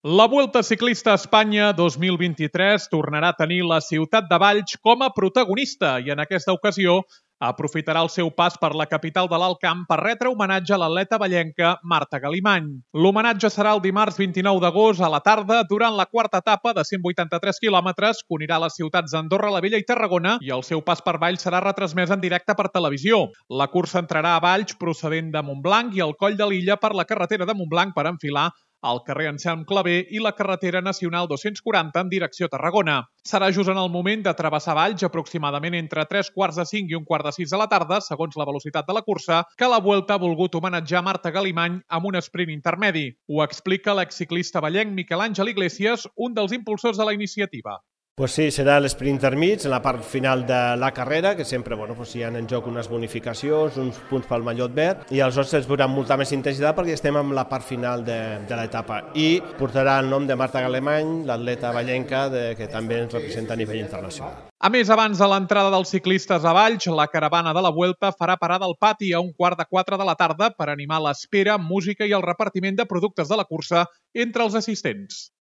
La Vuelta Ciclista a Espanya 2023 tornarà a tenir la ciutat de Valls com a protagonista i en aquesta ocasió aprofitarà el seu pas per la capital de l'Alt Camp per retre homenatge a l'atleta vallenca Marta Galimany. L'homenatge serà el dimarts 29 d'agost a la tarda durant la quarta etapa de 183 quilòmetres que unirà les ciutats d'Andorra la Vella i Tarragona i el seu pas per Valls serà retransmès en directe per televisió. La cursa entrarà a Valls procedent de Montblanc i el Coll de l'Illa per la carretera de Montblanc per enfilar al carrer Anselm Clavé i la carretera nacional 240 en direcció a Tarragona. Serà just en el moment de travessar Valls, aproximadament entre 3:45 i 1:45 de la tarda, segons la velocitat de la cursa, que la Vuelta ha volgut homenatjar Marta Galimany amb un sprint intermedi. Ho explica l'exciclista vallenc Miquel Àngel Iglesias, un dels impulsors de la iniciativa. Pues sí, serà l'esprint intermig, en la part final de la carrera, que sempre hi ha en joc unes bonificacions, uns punts pel mallot verd, i aleshores es veurà molta més intensitat perquè estem en la part final de l'etapa. I portarà el nom de Marta Galimany, l'atleta vallenca que també ens representa a nivell internacional. A més, abans de l'entrada dels ciclistes a Valls, la caravana de la Vuelta farà parada al pati a 3:15 de la tarda per animar l'espera, música i el repartiment de productes de la cursa entre els assistents.